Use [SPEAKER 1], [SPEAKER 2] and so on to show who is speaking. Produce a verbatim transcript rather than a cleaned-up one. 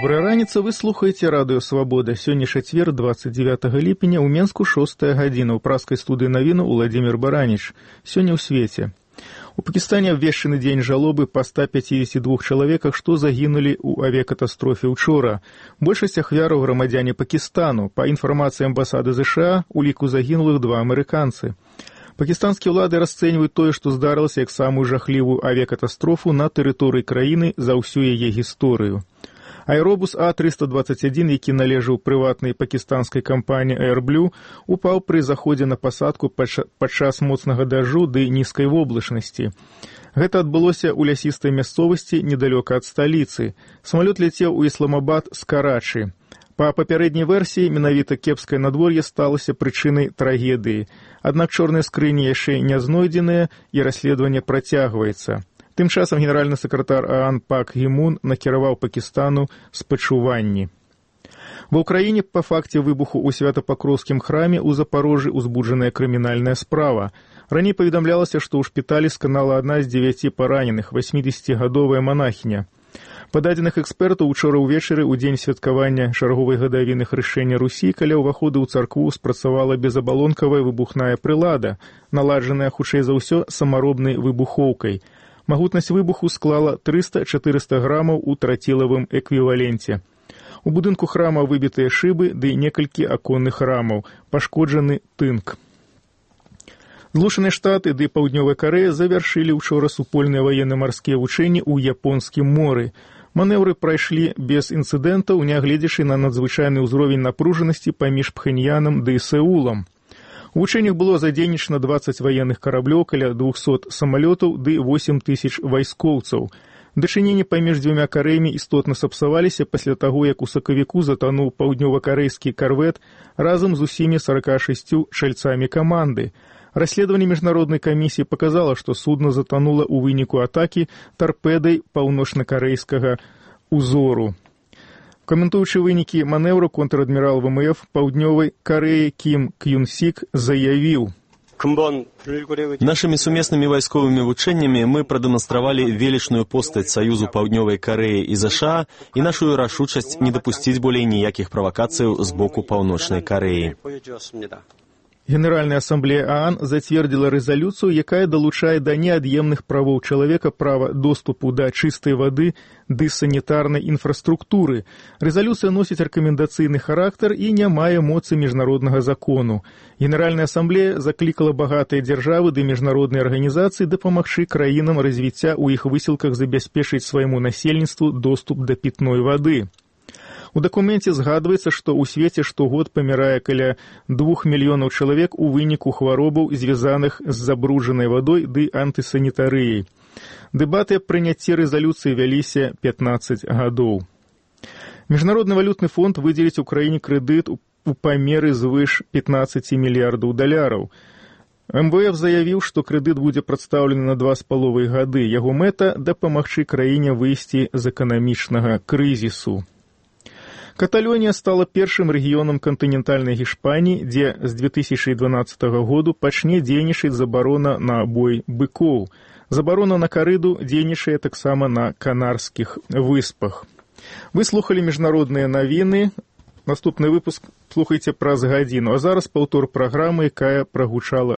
[SPEAKER 1] Добрая раніца, вы слухаеце радыё «Свабода». Сёння чацвер, двадцать девятого ліпеня, у Менску шостая гадзіна. У праскай студыі навіну Уладзімір Бараніч. Сёння ў свеце. У Пакістане абвешчаны дзень жалобы па ста пяцідзесяці двух чалавеках, што загінулі ў авіякатастрофе ўчора. Большасць ахвяраў грамадзяне Пакістану. Па інфармацыі амбасады ЗША, у ліку загінулых два амерыканцы. Пакістанскія ўлады расцэньваюць тое, што здарылася, як самую жахлівую авіякатастрофу на тэрыторыі краіны за ўсю яе гісторыю. Аэробус А трыста дваццаць адзін, які належаў прыватнай пакістанскай кампаніі «Airblue», упаў пры заходзе на пасадку падчас моцнага дажджу ды нізкай воблачнасці. Гэта адбылося ў лясістай мясцовасці недалёка ад сталіцы. Самалёт ляцеў у Ісламабад з Карачы. Па папярэдняй версіі, менавіта кепскае надвор'е сталася прычынай трагедыі. Аднак чорныя скрыні яшчэ не знойдзеныя і расследаванне працягваецца. Тым часам генеральны сакратар ААН Пак Гі Мун накіраваў Пакістану спачуванні. Ва ўкраіне па факце выбуху ў Свята-Пакроўскім храме ў Запарожжы узбуджаная крымінальная справа. Раней паведамлялася, што ў шпіталі сканала адна з дзевяці параненых, васьмідзесяцігадовая манахіня. Па дадзеных экспертаў, учора ўвечары, у дзень святкавання чарговай гадавіны хрышчэння Русі, каля ўваходу ў царкву спрацавала безабалонкавая выбухная прылада, наладжаная, хутчэй за ўсё, самаробнай выбухоўкай. Магутнасць выбуху склала трыста-чатырыста грамаў у трацілавым эквіваленце. У будынку храма выбітыя шыбы ды некалькі аконных рамаў, пашкоджаны тынк. Злучаныя Штаты ды Паўднёвая Карэя завяршылі ўчора супольныя ваенна-марскія вучэнні ў Японскім моры. Манеўры прайшлі без інцыдэнтаў, нягледзячы на надзвычайны ўзровень напружанасці паміж Пхэньянам ды Сеулам. У вучэннях было задзейнічана дваццаць ваенных караблёў, каля двухсот самалётаў ды восем тысяч вайскоўцаў. Дачыненні паміж дзвюма Карэямі істотна сапсаваліся пасля таго, як у сакавіку затануў паўднёва-карэйскі карвет разам з усімі сарака шасцю чальцамі каманды. Расследаванне міжнароднай камісіі паказала, што судна затанула ў выніку атакі тарпедай паўночна-карэйскага ўзору. Каментуючы вынікі манеўру, контр-адмірал ВМФ Паўднёвай Карэі Кім К'юн-сік заявіў:
[SPEAKER 2] Нашими сумеснымі вайсковымі вучэннямі мы прадэманстравалі велічную постаць Саюзу Паўднёвай Карэі і ЗША і нашу рашучасць не дапусціць болей ніякіх правакацыяў з боку Паўночнай Карэі.
[SPEAKER 1] Генеральная асамблея ААН зацвердзіла рэзалюцыю, якая далучае да неад'емных правоў чалавека права доступу да чыстай вады ды санітарнай інфраструктуры. Рэзалюцыя носіць рэкамендацыйны характар і не мае моцы міжнароднага закону. Генеральная асамблея заклікала багатыя дзяржавы ды міжнародныя арганізацыі дапамагчы краінам развіцця ў іх высілках забяспечыць свайму насельніцтву доступ да пітной вады. У дакуменце згадваецца, што ў свеце штогод памірае каля двух мільёнаў чалавек у выніку хваробаў, звязаных з забруджанай вадой ды антысанітарыяй. Дэбаты аб прыняцці рэзалюцыі вяліся пятнаццаць гадоў. Міжнародны валютны фонд выдзеліць Украіне крэдыт у памеры звыш пятнаццаць мільярдаў даляраў. МВФ заявіў, што крэдыт будзе прадстаўлены на два з паловай гады. Яго мэта – дапамагчы краіне выйсці з эканамічнага крызісу. Каталонія стала першым рэгіёнам кантынентальнай Гішпаніі, дзе з две тысячы дванаццатага году пачне дзейнічаць забарона на бой быкоў. Забарона на карыду дзейнічае таксама на Канарскіх выспах. Вы слухалі міжнародныя навіны. Наступны выпуск слухайце праз гадзіну, а зараз паўтор праграмы, якая прагучала